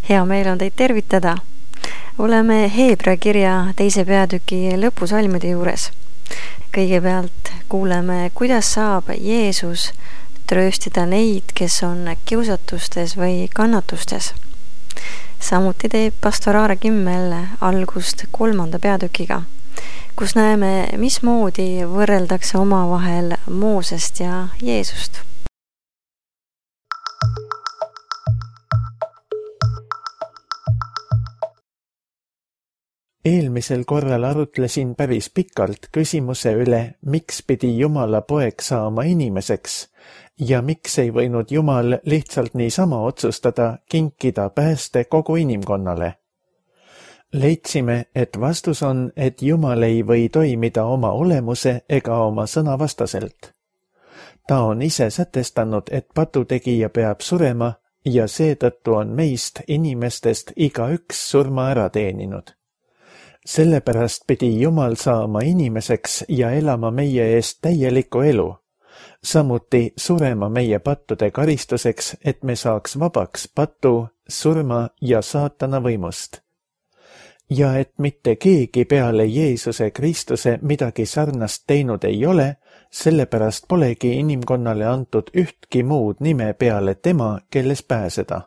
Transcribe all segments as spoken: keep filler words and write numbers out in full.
Hea meel on teid tervitada. Oleme Heebrea kirja teise peatüki lõpusalmide juures. Kõigepealt kuuleme, kuidas saab Jeesus trööstida neid, kes on kiusatustes või kannatustes. Samuti teeb pastor Aare Kimmel algust kolmanda peatükiga, kus näeme, mismoodi võrreldakse omavahel Moosest ja Jeesust. Eelmisel korral arutlesin päris pikalt küsimuse üle, miks pidi Jumala poeg saama inimeseks ja miks ei võinud Jumal lihtsalt niisama otsustada kinkida pääste kogu inimkonnale. Leidsime, et vastus on, et Jumal ei või toimida oma olemuse ega oma sõna vastaselt. Ta on ise sätestanud, et patutegija peab surema ja seetõttu on meist inimestest igaüks surma ära teeninud. Sellepärast pidi Jumal saama inimeseks ja elama meie eest täielikku elu, samuti surema meie pattude karistuseks, et me saaks vabaks patu, surma ja saatana võimust. Ja et mitte keegi peale Jeesuse Kristuse midagi sarnast teinud ei ole, sellepärast polegi inimkonnale antud ühtki muud nime peale tema, kelles pääseda.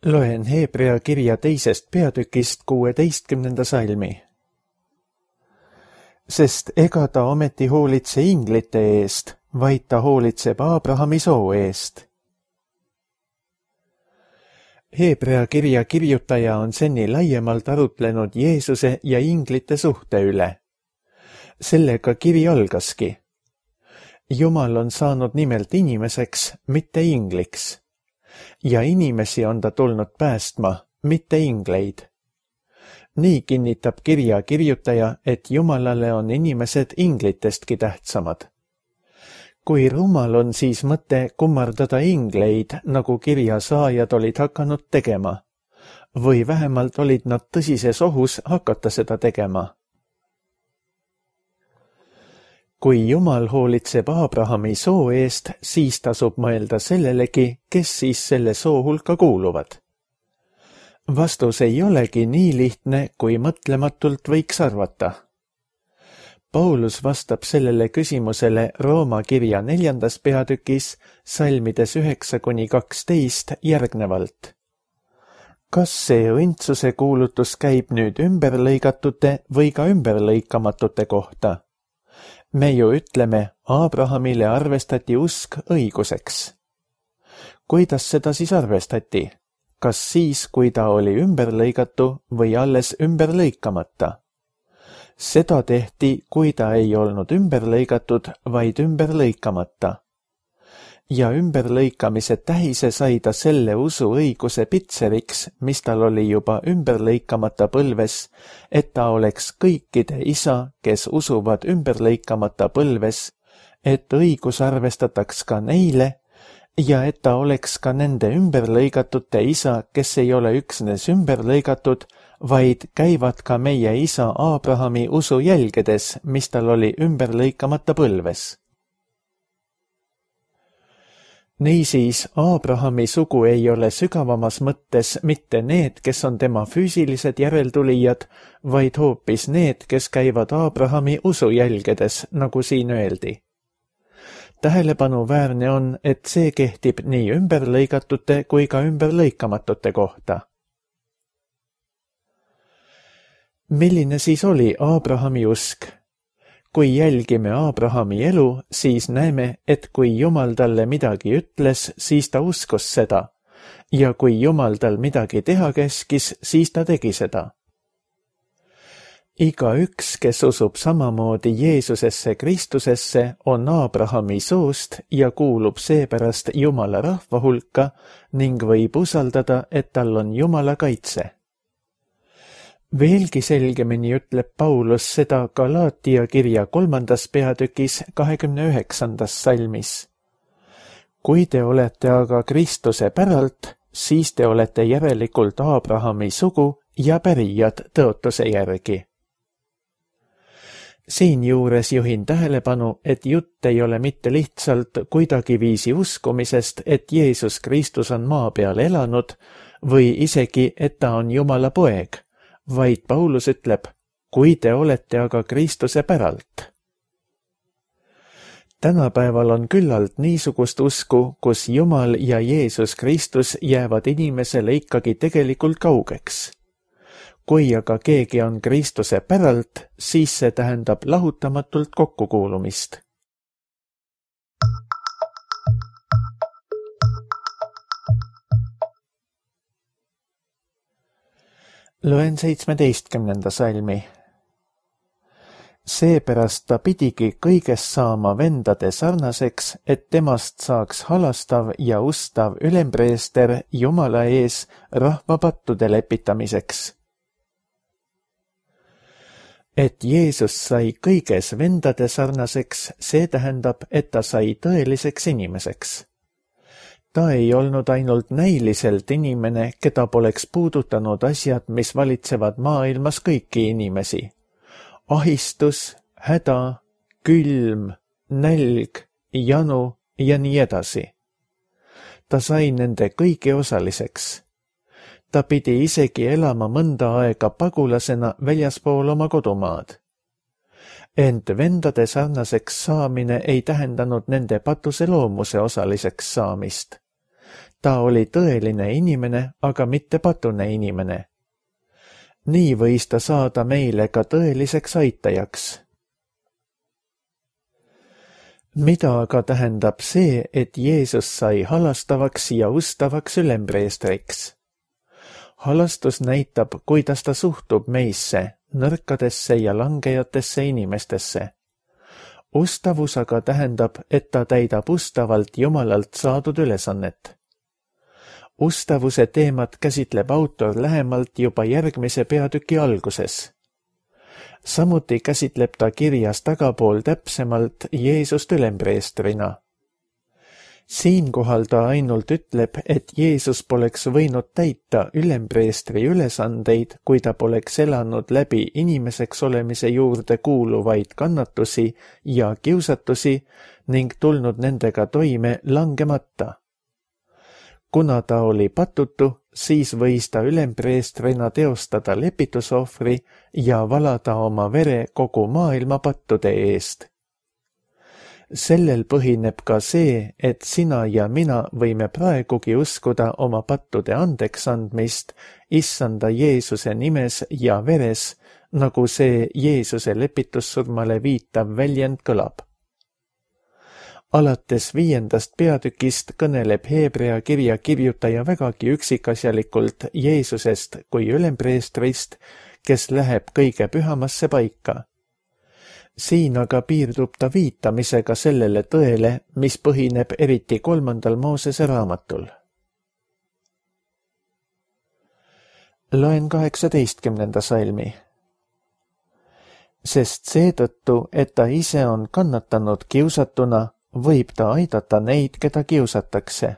Loen Heebrea kirja teisest peatükist kuueteistkümnenda salmi. Sest ega ta ometi hoolitse inglite eest, vaid ta hoolitseb Aabrahami soo eest. Heebrea kirja kirjutaja on seni laiemalt arutlenud Jeesuse ja inglite suhte üle. Sellega kiri algaski. Jumal on saanud nimelt inimeseks, mitte ingliks. Ja inimesi on ta tulnud päästma, mitte ingleid. Nii kinnitab kirja kirjutaja, et Jumalale on inimesed inglitestki tähtsamad. Kui rumal on siis mõte kummardada ingleid, nagu kirja saajad olid hakanud tegema, või vähemalt olid nad tõsises ohus hakata seda tegema. Kui Jumal hoolitseb Aabrahami soo eest, siis tasub mõelda sellelegi, kes siis selle soo hulka kuuluvad. Vastus ei olegi nii lihtne, kui mõtlematult võiks arvata. Paulus vastab sellele küsimusele Rooma kirja neljandas peatükis, salmides üheksa kuni kaksteist järgnevalt. Kas see õndsuse kuulutus käib nüüd ümberlõigatute või ka ümberlõikamatute kohta? Me ju ütleme, Aabrahamile arvestati usk õiguseks. Kuidas seda siis arvestati? Kas siis, kui ta oli ümberlõigatu või alles ümberlõikamata? Seda tehti, kui ta ei olnud ümberlõigatud, vaid ümberlõikamata. Ja ümberlõikamise tähise sai ta selle usu õiguse pitseriks, mis tal oli juba ümberlõikamata põlves, et ta oleks kõikide isa, kes usuvad ümberlõikamata põlves, et õigus arvestataks ka neile, ja et ta oleks ka nende ümberlõigatute isa, kes ei ole üksnes ümberlõigatud, vaid käivad ka meie isa Aabrahami usu jälgedes, mis tal oli ümberlõikamata põlves. Niisiis, Aabrahami sugu ei ole sügavamas mõttes mitte need, kes on tema füüsilised järeltulijad, vaid hoopis need, kes käivad Aabrahami usu jälgedes, nagu siin öeldi. Tähelepanuväärne on, et see kehtib nii ümberlõigatute kui ka ümberlõikamatute kohta. Milline siis oli Aabrahami usk? Kui jälgime Aabrahami elu, siis näeme, et kui Jumal talle midagi ütles, siis ta uskus seda, ja kui Jumal tal midagi teha käskis, siis ta tegi seda. Igaüks, kes usub samamoodi Jeesusesse Kristusesse, on Aabrahami soost ja kuulub seepärast Jumala rahva hulka ning võib usaldada, et tal on Jumala kaitse. Veelgi selgemini ütleb Paulus seda Galaatia kirja kolmandas peatükis kahekümne üheksandas salmis. Kui te olete aga Kristuse päralt, siis te olete järelikult Aabrahami sugu ja pärijad tõotuse järgi. Siinjuures juhin tähelepanu, et jutt ei ole mitte lihtsalt kuidagiviisi uskumisest, et Jeesus Kristus on maa peal elanud või isegi, et ta on Jumala poeg, vaid Paulus ütleb, kui te olete aga Kristuse päralt. Tänapäeval on küllalt niisugust usku, kus Jumal ja Jeesus Kristus jäävad inimesele ikkagi tegelikult kaugeks. Kui aga keegi on Kristuse päralt, siis see tähendab lahutamatult kokkukuulumist. Loen seitsmeteistkümnenda salmi. Seepärast ta pidigi kõigest saama vendade sarnaseks, et temast saaks halastav ja ustav ülempreester Jumala ees rahva pattude lepitamiseks. Et Jeesus sai kõiges vendade sarnaseks, see tähendab, et ta sai tõeliseks inimeseks. Ta ei olnud ainult näiliselt inimene, keda poleks puudutanud asjad, mis valitsevad maailmas kõiki inimesi. Ahistus, häda, külm, nälg, janu ja nii edasi. Ta sai nende kõigi osaliseks. Ta pidi isegi elama mõnda aega pagulasena väljaspool oma kodumaad. Ent vendade sarnaseks saamine ei tähendanud nende patuse loomuse osaliseks saamist. Ta oli tõeline inimene, aga mitte patune inimene. Nii võis ta saada meile ka tõeliseks aitajaks. Mida aga tähendab see, et Jeesus sai halastavaks ja ustavaks ülempreestriks? Halastus näitab, kuidas ta suhtub meisse, nõrkadesse ja langejatesse inimestesse. Ustavus aga tähendab, et ta täidab ustavalt Jumalalt saadud ülesannet. Ustavuse teemat käsitleb autor lähemalt juba järgmise peatüki alguses. Samuti käsitleb ta kirjas tagapool täpsemalt Jeesust ülempreestrina. Siinkohal ta ainult ütleb, et Jeesus poleks võinud täita ülempreestri ülesandeid, kui ta poleks elanud läbi inimeseks olemise juurde kuuluvaid kannatusi ja kiusatusi ning tulnud nendega toime langemata. Kuna ta oli patutu, siis võis ta ülempreestrina teostada lepitusohvri ja valada oma vere kogu maailma pattude eest. Sellel põhineb ka see, et sina ja mina võime praegugi uskuda oma pattude andeks andmist Issanda Jeesuse nimes ja veres, nagu see Jeesuse lepitussurmale viitav väljend kõlab. Alates viiendast peatükist kõneleb Heebrea kirja kirjutaja vägagi üksikasjalikult Jeesusest kui ülempreestrist, kes läheb kõige pühamasse paika. Siin aga piirdub ta viitamisega sellele tõele, mis põhineb eriti kolmandal Moosese raamatul. Loen kaheksateistkümnenda salmi. Sest seetõttu, et ta ise on kannatanud kiusatuna, võib ta aidata neid, keda kiusatakse.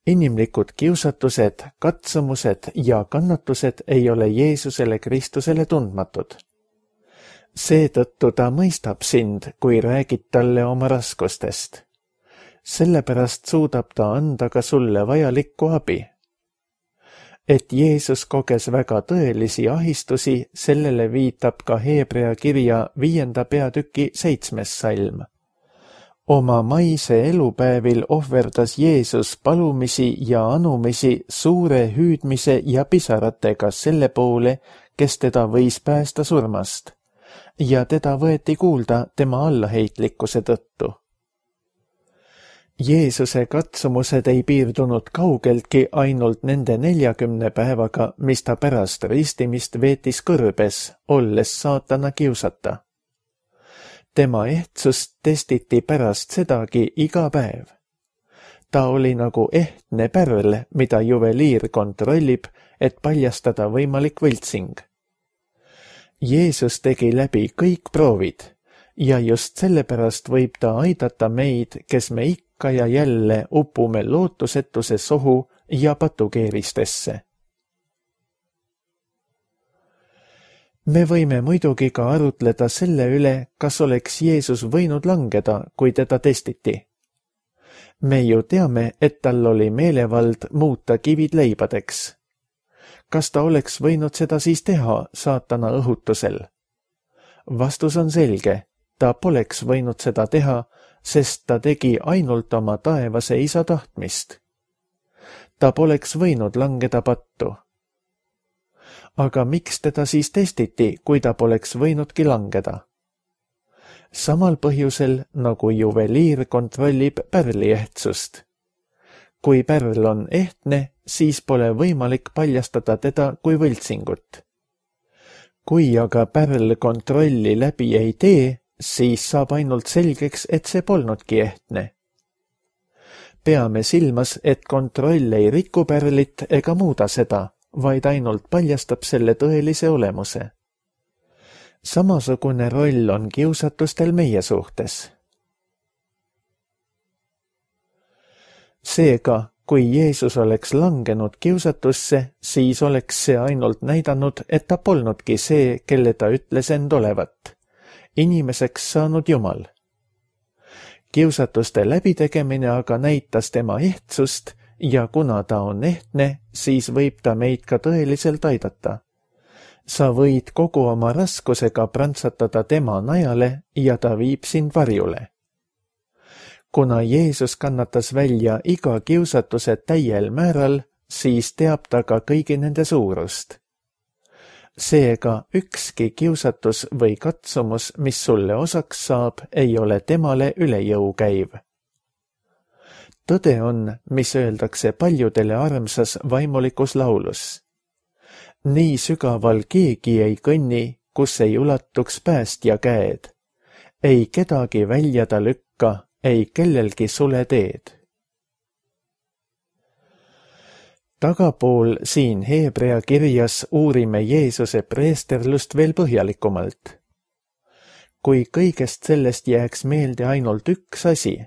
Inimlikud kiusatused, katsumused ja kannatused ei ole Jeesusele Kristusele tundmatud. Seetõttu ta mõistab sind, kui räägid talle oma raskustest. Sellepärast suudab ta anda ka sulle vajalikku abi. Et Jeesus koges väga tõelisi ahistusi, sellele viitab ka Heebrea kirja viienda peatüki seitsmes salm. Oma maise elupäevil ohverdas Jeesus palumisi ja anumisi suure hüüdmise ja pisaratega selle poole, kes teda võis päästa surmast, ja teda võeti kuulda tema allaheitlikkuse tõttu. Jeesuse katsumused ei piirdunud kaugeltki ainult nende neljakümne päevaga, mis ta pärast ristimist veetis kõrbes, olles saatana kiusata. Tema ehtsust testiti pärast sedagi iga päev. Ta oli nagu ehtne pärl, mida juveliir kontrollib, et paljastada võimalik võltsing. Jeesus tegi läbi kõik proovid ja just sellepärast võib ta aidata meid, kes me ikka ja jälle upume lootusetuse sohu ja patukeeristesse. me võime muidugi ka arutleda selle üle, kas oleks Jeesus võinud langeda, kui teda testiti. Me ju teame, et tal oli meelevald muuta kivid leibadeks. Kas ta oleks võinud seda siis teha saatana õhutusel? Vastus on selge, ta poleks võinud seda teha, sest ta tegi ainult oma taevase isa tahtmist. Ta poleks võinud langeda pattu. Aga miks teda siis testiti, kui ta poleks võinudki langeda? Samal põhjusel, nagu juveliir kontrollib pärli ehtsust. Kui pärl on ehtne, siis pole võimalik paljastada teda kui võltsingut. Kui aga pärl kontrolli läbi ei tee, siis saab ainult selgeks, et see polnudki ehtne. Peame silmas, et kontroll ei riku pärlit ega muuda seda, vaid ainult paljastab selle tõelise olemuse. Samasugune roll on kiusatustel meie suhtes. Seega, kui Jeesus oleks langenud kiusatusse, siis oleks see ainult näidanud, et ta polnudki see, kelle ta ütles end olevat, inimeseks saanud Jumal. Kiusatuste läbitegemine aga näitas tema ehtsust ja kuna ta on ehtne, siis võib ta meid ka tõeliselt aidata. Sa võid kogu oma raskusega prantsatada tema najale ja ta viib sind varjule. Kuna Jeesus kannatas välja iga kiusatuse täiel määral, siis teab ta ka kõigi nende suurust. Seega ükski kiusatus või katsumus, mis sulle osaks saab, ei ole temale üle jõu käiv. Tõde on, mis öeldakse paljudele armsas vaimulikus laulus. Nii sügaval keegi ei kõnni, kus ei ulatuks päästja käed. Ei kedagi välja ta lükka, ei kellelgi sule teed. Tagapool siin Heebrea kirjas uurime Jeesuse preesterlust veel põhjalikumalt. Kui kõigest sellest jääks meelde ainult üks asi,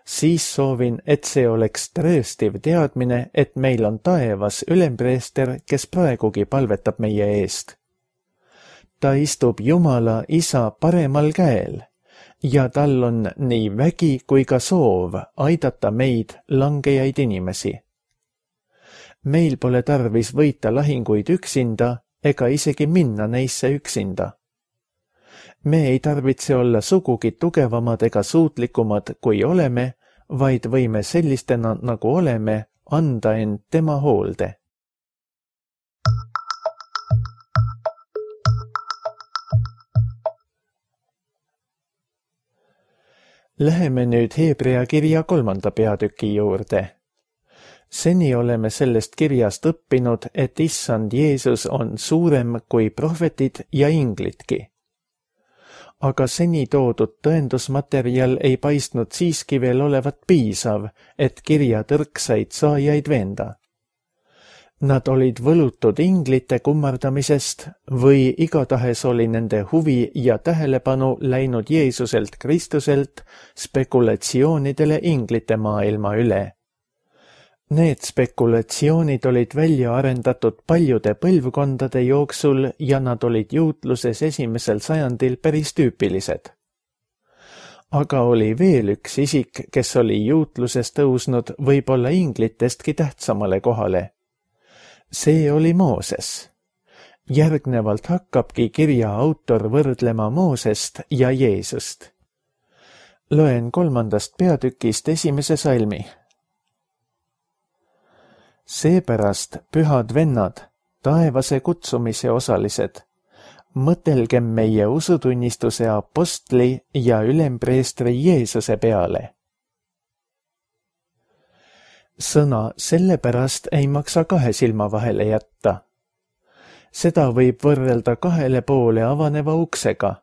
siis soovin, et see oleks trööstiv teadmine, et meil on taevas ülempreester, kes praegugi palvetab meie eest. Ta istub Jumala Isa paremal käel ja tal on nii vägi kui ka soov aidata meid, langejaid inimesi. Meil pole tarvis võita lahinguid üksinda ega isegi minna neisse üksinda. Me ei tarvitse olla sugugi tugevamad ega suutlikumad, kui oleme, vaid võime sellistena, nagu oleme, anda end tema hoolde. Läheme nüüd Heebrea kirja kolmanda peatüki juurde. Seni oleme sellest kirjast õppinud, et issand Jeesus on suurem kui prohvetid ja inglidki. Aga seni toodud tõendusmaterjal ei paistnud siiski veel olevat piisav, et kirja tõrksaid saajaid veenda. Nad olid võlutud inglite kummardamisest või igatahes oli nende huvi ja tähelepanu läinud Jeesuselt Kristuselt spekulatsioonidele inglite maailma üle. Need spekulatsioonid olid välja arendatud paljude põlvkondade jooksul ja nad olid juutluses esimesel sajandil päris tüüpilised. Aga oli veel üks isik, kes oli juutluses tõusnud võib-olla inglitestki tähtsamale kohale. See oli Mooses. Järgnevalt hakkabki kirja autor võrdlema Moosest ja Jeesust. Loen kolmandast peatükist esimese salmi. Seepärast, pühad vennad, taevase kutsumise osalised, mõtelgem meie usutunnistuse apostli ja ülempreestri Jeesuse peale. Sõna sellepärast ei maksa kahe silma vahele jätta. Seda võib võrrelda kahele poole avaneva uksega.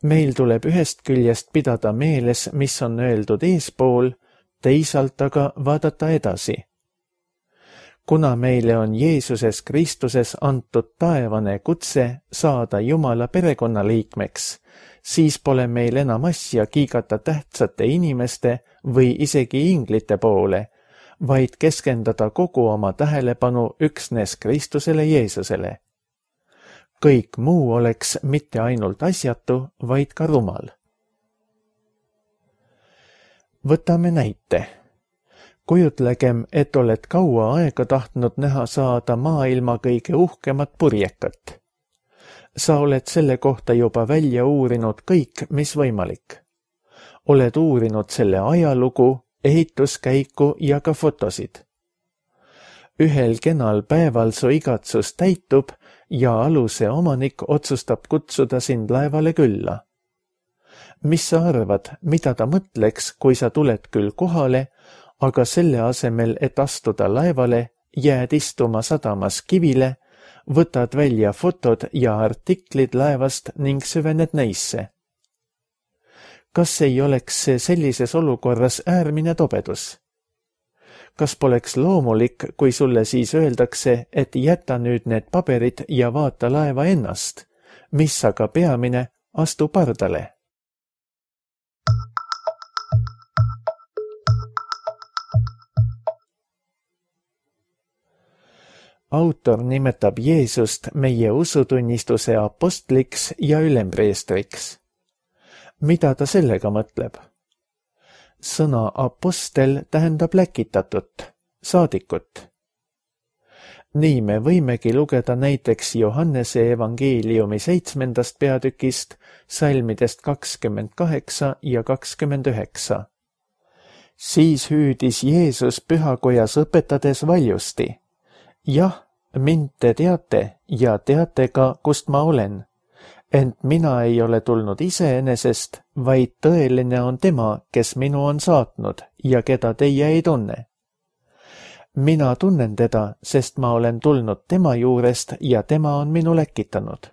Meil tuleb ühest küljest pidada meeles, mis on öeldud eespool, teisalt aga vaadata edasi. Kuna meile on Jeesuses Kristuses antud taevane kutse saada Jumala perekonnaliikmeks, siis pole meil enam asja kiigata tähtsate inimeste või isegi inglite poole, vaid keskendada kogu oma tähelepanu üksnes Kristusele Jeesusele. kõik muu oleks mitte ainult asjatu, vaid ka rumal. Võtame näite. Kujutlegem, et oled kaua aega tahtnud näha saada maailma kõige uhkemat purjekat. Sa oled selle kohta juba välja uurinud kõik, mis võimalik. Oled uurinud selle ajalugu, ehituskäiku ja ka fotosid. Ühel kenal päeval su igatsus täitub ja aluse omanik otsustab kutsuda sind laevale külla. Mis sa arvad, mida ta mõtleks, kui sa tuled küll kohale, aga selle asemel, et astuda laevale, jääd istuma sadamas kivile, võtad välja fotod ja artiklid laevast ning süvened neisse. Kas ei oleks see sellises olukorras äärmine tobedus? Kas poleks loomulik, kui sulle siis öeldakse, et jäta nüüd need paberid ja vaata laeva ennast, mis aga peamine, astu pardale? Autor nimetab Jeesust meie usutunnistuse apostliks ja ülempreestriks. Mida ta sellega mõtleb? Sõna apostel tähendab läkitatut, saadikut. Nii me võimegi lugeda näiteks Johannese evangeeliumi seitsmendast peatükist, salmidest kakskümmend kaheksa ja kakskümmend üheksa. Siis hüüdis Jeesus pühakojas õpetades valjusti. Jah, mind te teate ja teate ka, kust ma olen. Ent mina ei ole tulnud iseenesest, vaid tõeline on tema, kes minu on saatnud ja keda teie ei tunne. Mina tunnen teda, sest ma olen tulnud tema juurest ja tema on minu läkitanud.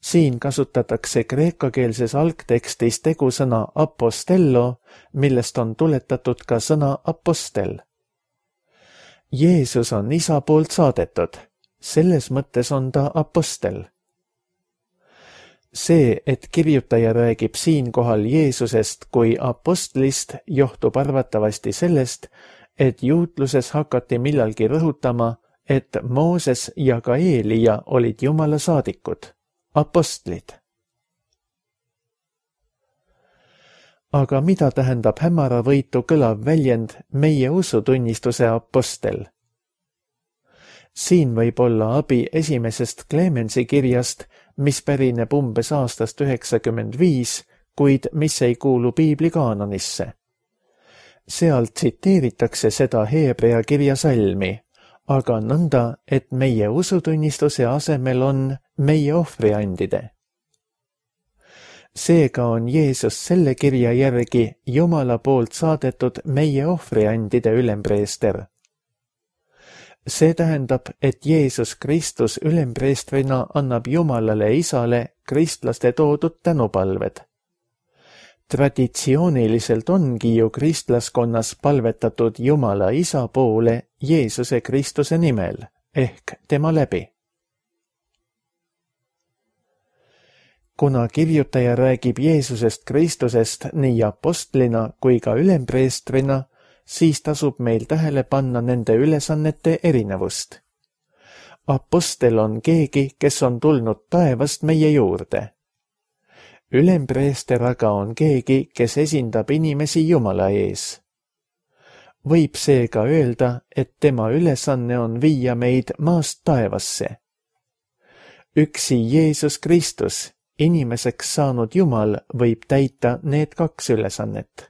Siin kasutatakse kreekakeelses algtekstis tegusõna apostello, millest on tuletatud ka sõna apostel. Jeesus on isa poolt saadetud, selles mõttes on ta apostel. See, et kirjutaja räägib siinkohal Jeesusest kui apostlist, johtub arvatavasti sellest, et juutluses hakati millalgi rõhutama, et Mooses ja ka Eelija olid Jumala saadikud, apostlid. Aga mida tähendab hämaravõitu kõlav väljend meie usutunnistuse apostel? Siin võib olla abi esimesest Clemensi kirjast, mis pärineb umbes aastast üheksakümmend viis, kuid mis ei kuulu piibli kaanonisse. Seal tsiteeritakse seda Heebrea kirja salmi, aga nõnda, et meie usutunnistuse asemel on meie ohvriandide. Seega on Jeesus selle kirja järgi Jumala poolt saadetud meie ohvriandide ülempreester. See tähendab, et Jeesus Kristus ülempreestrina annab Jumalale Isale kristlaste toodud tänupalved. Traditsiooniliselt ongi ju kristlaskonnas palvetatud Jumala Isa poole Jeesuse Kristuse nimel, ehk tema läbi. Kuna kirjutaja räägib Jeesusest Kristusest nii apostlina kui ka ülempreestrina, siis tasub meil tähele panna nende ülesannete erinevust. Apostel on keegi, kes on tulnud taevast meie juurde. Ülempreester aga on keegi, kes esindab inimesi Jumala ees. Võib seega öelda, et tema ülesanne on viia meid maast taevasse. Üksi Jeesus Kristus, inimeseks saanud Jumal, võib täita need kaks ülesannet.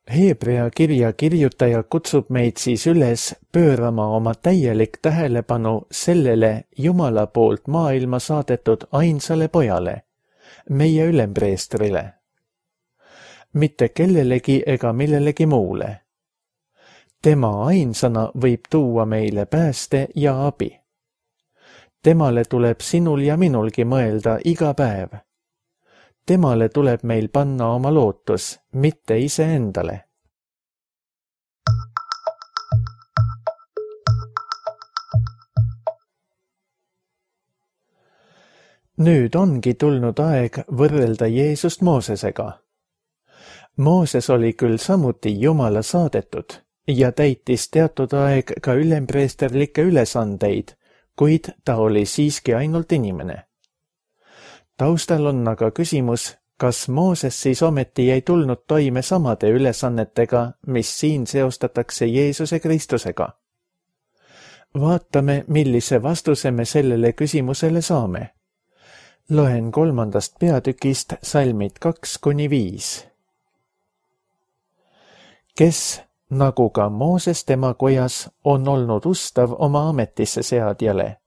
Heebrea kirja kirjutaja kutsub meid siis üles pöörama oma täielik tähelepanu sellele Jumala poolt maailma saadetud ainsale pojale, meie ülempreestrile. Mitte kellelegi ega millelegi muule. Tema ainsana võib tuua meile pääste ja abi. Temale tuleb sinul ja minulgi mõelda iga päev. Temale tuleb meil panna oma lootus, mitte iseendale. Nüüd ongi tulnud aeg võrrelda Jeesust Moosesega. Mooses oli küll samuti Jumala saadetud ja täitis teatud aeg ka ülempreesterlikke ülesandeid, kuid ta oli siiski ainult inimene. Taustal on aga küsimus, kas Mooses siis ometi ei tulnud toime samade ülesannetega, mis siin seostatakse Jeesuse Kristusega? Vaatame, millise vastuse me sellele küsimusele saame. Loen kolmandast peatükist salmid kaks kuni viis. Kes, nagu ka Mooses tema kojas, on olnud ustav oma ametisse seadjale,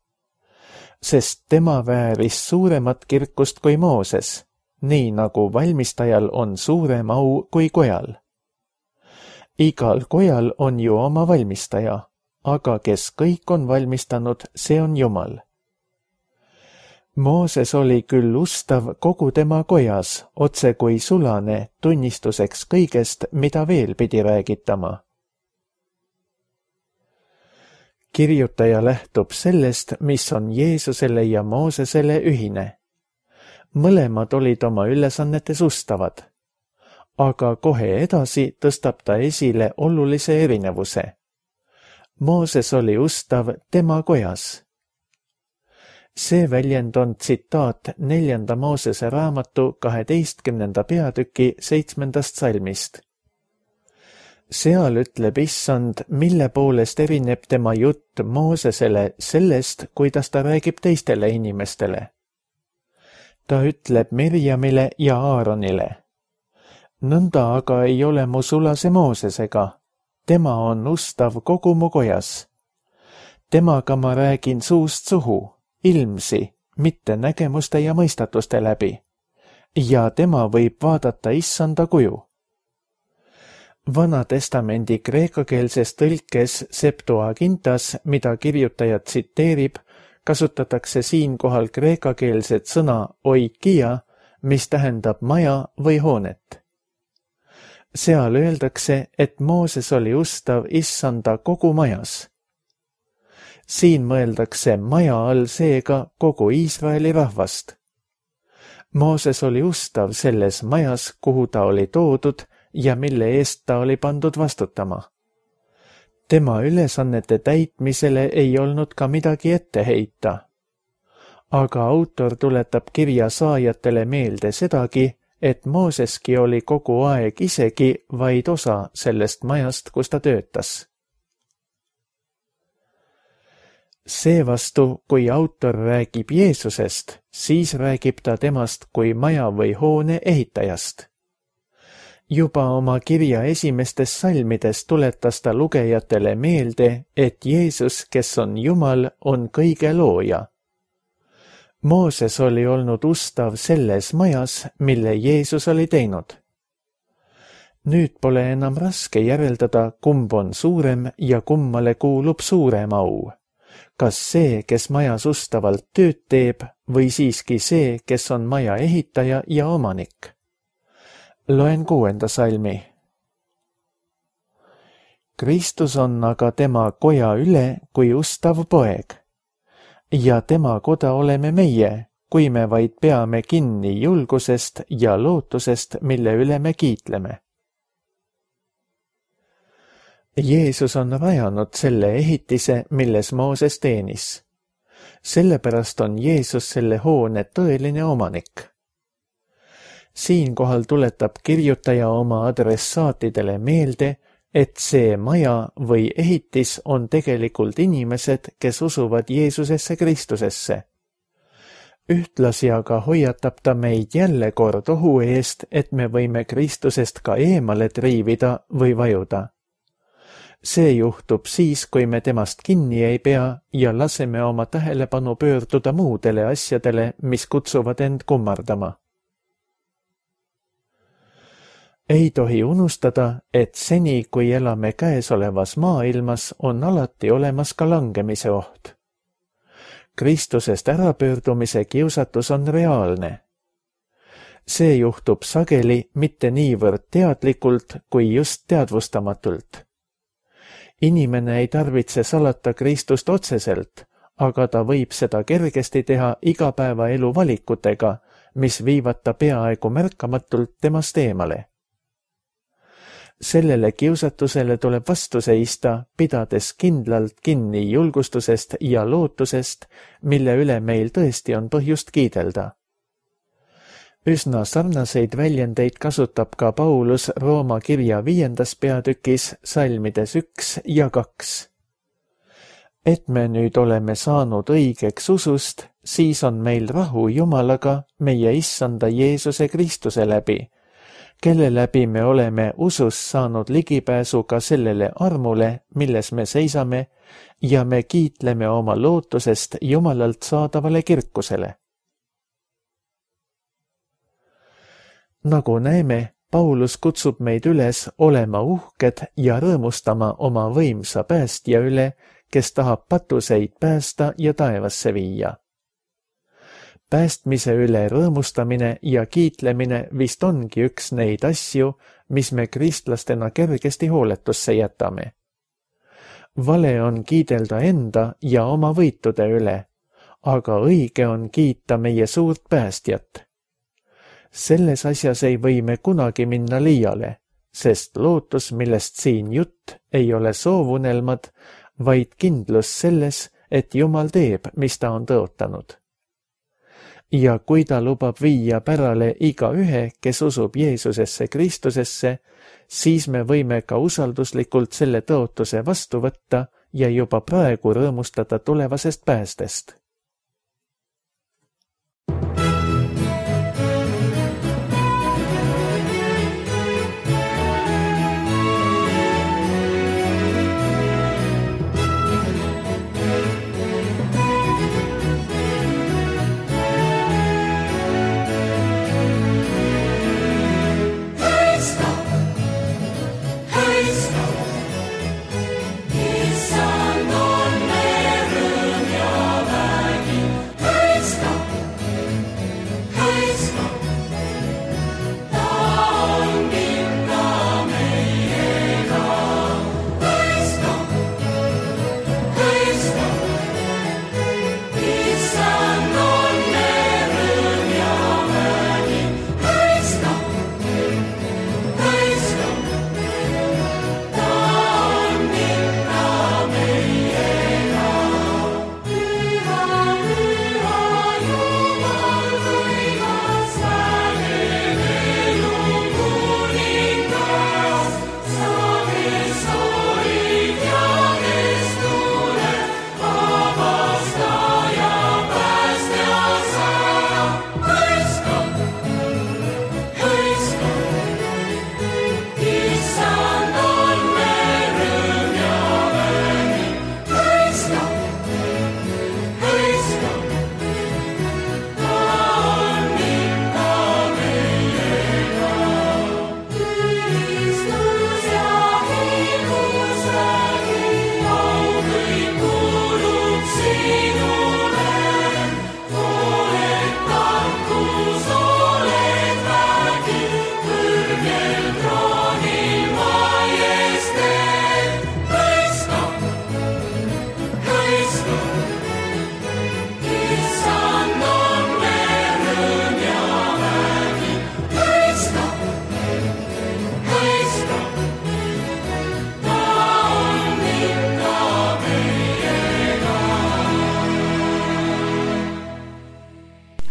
sest tema vääris suuremat kirkust kui Mooses, nii nagu valmistajal on suurem au kui kojal. Igal kojal on ju oma valmistaja, aga kes kõik on valmistanud, see on Jumal. Mooses oli küll ustav kogu tema kojas, otse kui sulane, tunnistuseks kõigest, mida veel pidi räägitama. Kirjutaja lähtub sellest, mis on Jeesusele ja Moosesele ühine. Mõlemad olid oma ülesannetes ustavad, aga kohe edasi tõstab ta esile olulise erinevuse. Mooses oli ustav tema kojas. See väljend on tsitaat neljanda Moosese raamatu kaheteistkümnenda peatüki seitsmendast salmist. Seal ütleb Issand, mille poolest erineb tema jutt Moosesele sellest, kuidas ta räägib teistele inimestele. Ta ütleb Mirjamile ja Aaronile. Nõnda aga ei ole mu sulase Moosesega. Tema on ustav kogu mu kojas. Temaga ma räägin suust suhu, ilmsi, mitte nägemuste ja mõistatuste läbi. Ja tema võib vaadata Issanda kuju. Vana testamendi kreekakeelses tõlkes Septuagintas, mida kirjutaja tsiteerib, kasutatakse siinkohal kreekakeelset sõna oikia, mis tähendab maja või hoonet. Seal öeldakse, et Mooses oli ustav Issanda kogu majas. Siin mõeldakse maja all seega kogu Iisraeli rahvast. Mooses oli ustav selles majas, kuhu ta oli toodud ja mille eest ta oli pandud vastutama. Tema ülesannete täitmisele ei olnud ka midagi ette heita. Aga autor tuletab kirja saajatele meelde sedagi, et Mooseski oli kogu aeg isegi vaid osa sellest majast, kus ta töötas. Seevastu, kui autor räägib Jeesusest, siis räägib ta temast kui maja või hoone ehitajast. Juba oma kirja esimestes salmides tuletas ta lugejatele meelde, et Jeesus, kes on Jumal, on kõige looja. Mooses oli olnud ustav selles majas, mille Jeesus oli teinud. Nüüd pole enam raske järeldada, kumb on suurem ja kummale kuulub suurem au. Kas see, kes majas ustavalt tööd teeb, või siiski see, kes on maja ehitaja ja omanik? Loen kuuenda salmi. Kristus on aga tema koja üle kui ustav poeg. Ja tema koda oleme meie, kui me vaid peame kinni julgusest ja lootusest, mille üle me kiitleme. Jeesus on rajanud selle ehitise, milles Mooses teenis. Sellepärast on Jeesus selle hoone tõeline omanik. Siinkohal tuletab kirjutaja oma adressaatidele meelde, et see maja või ehitis on tegelikult inimesed, kes usuvad Jeesusesse Kristusesse. Ühtlasi aga hoiatab ta meid jälle kord ohu eest, et me võime Kristusest ka eemale triivida või vajuda. See juhtub siis, kui me temast kinni ei pea ja laseme oma tähelepanu pöörduda muudele asjadele, mis kutsuvad end kummardama. Ei tohi unustada, et seni, kui elame käesolevas maailmas, on alati olemas ka langemise oht. Kristusest ärapöördumise kiusatus on reaalne. See juhtub sageli mitte niivõrd teadlikult kui just teadvustamatult. Inimene ei tarvitse salata Kristust otseselt, aga ta võib seda kergesti teha igapäevaelu valikutega, mis viivad ta peaaegu märkamatult temast eemale. sellele kiusatusele tuleb vastu seista, pidades kindlalt kinni julgustusest ja lootusest, mille üle meil tõesti on põhjust kiidelda. Üsna sarnaseid väljendeid kasutab ka Paulus Rooma kirja viiendas peatükis salmides üks ja kaks. Et me nüüd oleme saanud õigeks usust, siis on meil rahu Jumalaga meie issanda Jeesuse Kristuse läbi, kelle läbi me oleme usus saanud ligipääsu ka sellele armule, milles me seisame, ja me kiitleme oma lootusest Jumalalt saadavale kirkusele. Nagu näeme, Paulus kutsub meid üles olema uhked ja rõõmustama oma võimsa päästja üle, kes tahab patuseid päästa ja taevasse viia. Päästmise üle rõõmustamine ja kiitlemine vist ongi üks neid asju, mis me kristlastena kergesti hooletusse jätame. Vale on kiidelda enda ja oma võitude üle, aga õige on kiita meie suurt päästjat. Selles asjas ei või me kunagi minna liiale, sest lootus, millest siin jutt, ei ole soovunelmad, vaid kindlus selles, et Jumal teeb, mis ta on tõotanud. Ja kui ta lubab viia pärale iga ühe, kes usub Jeesusesse Kristusesse, siis me võime ka usalduslikult selle tõotuse vastu võtta ja juba praegu rõõmustada tulevasest päästest.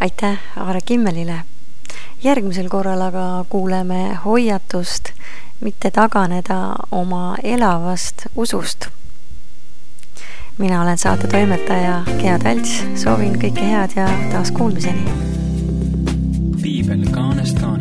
Aitäh Aare Kimmelile. Järgmisel korral aga kuuleme hoiatust mitte taganeda oma elavast usust. Mina olen saate toimetaja Gea Talts, soovin kõike head ja taas kuulmiseni. Piibel kaanest kaanest.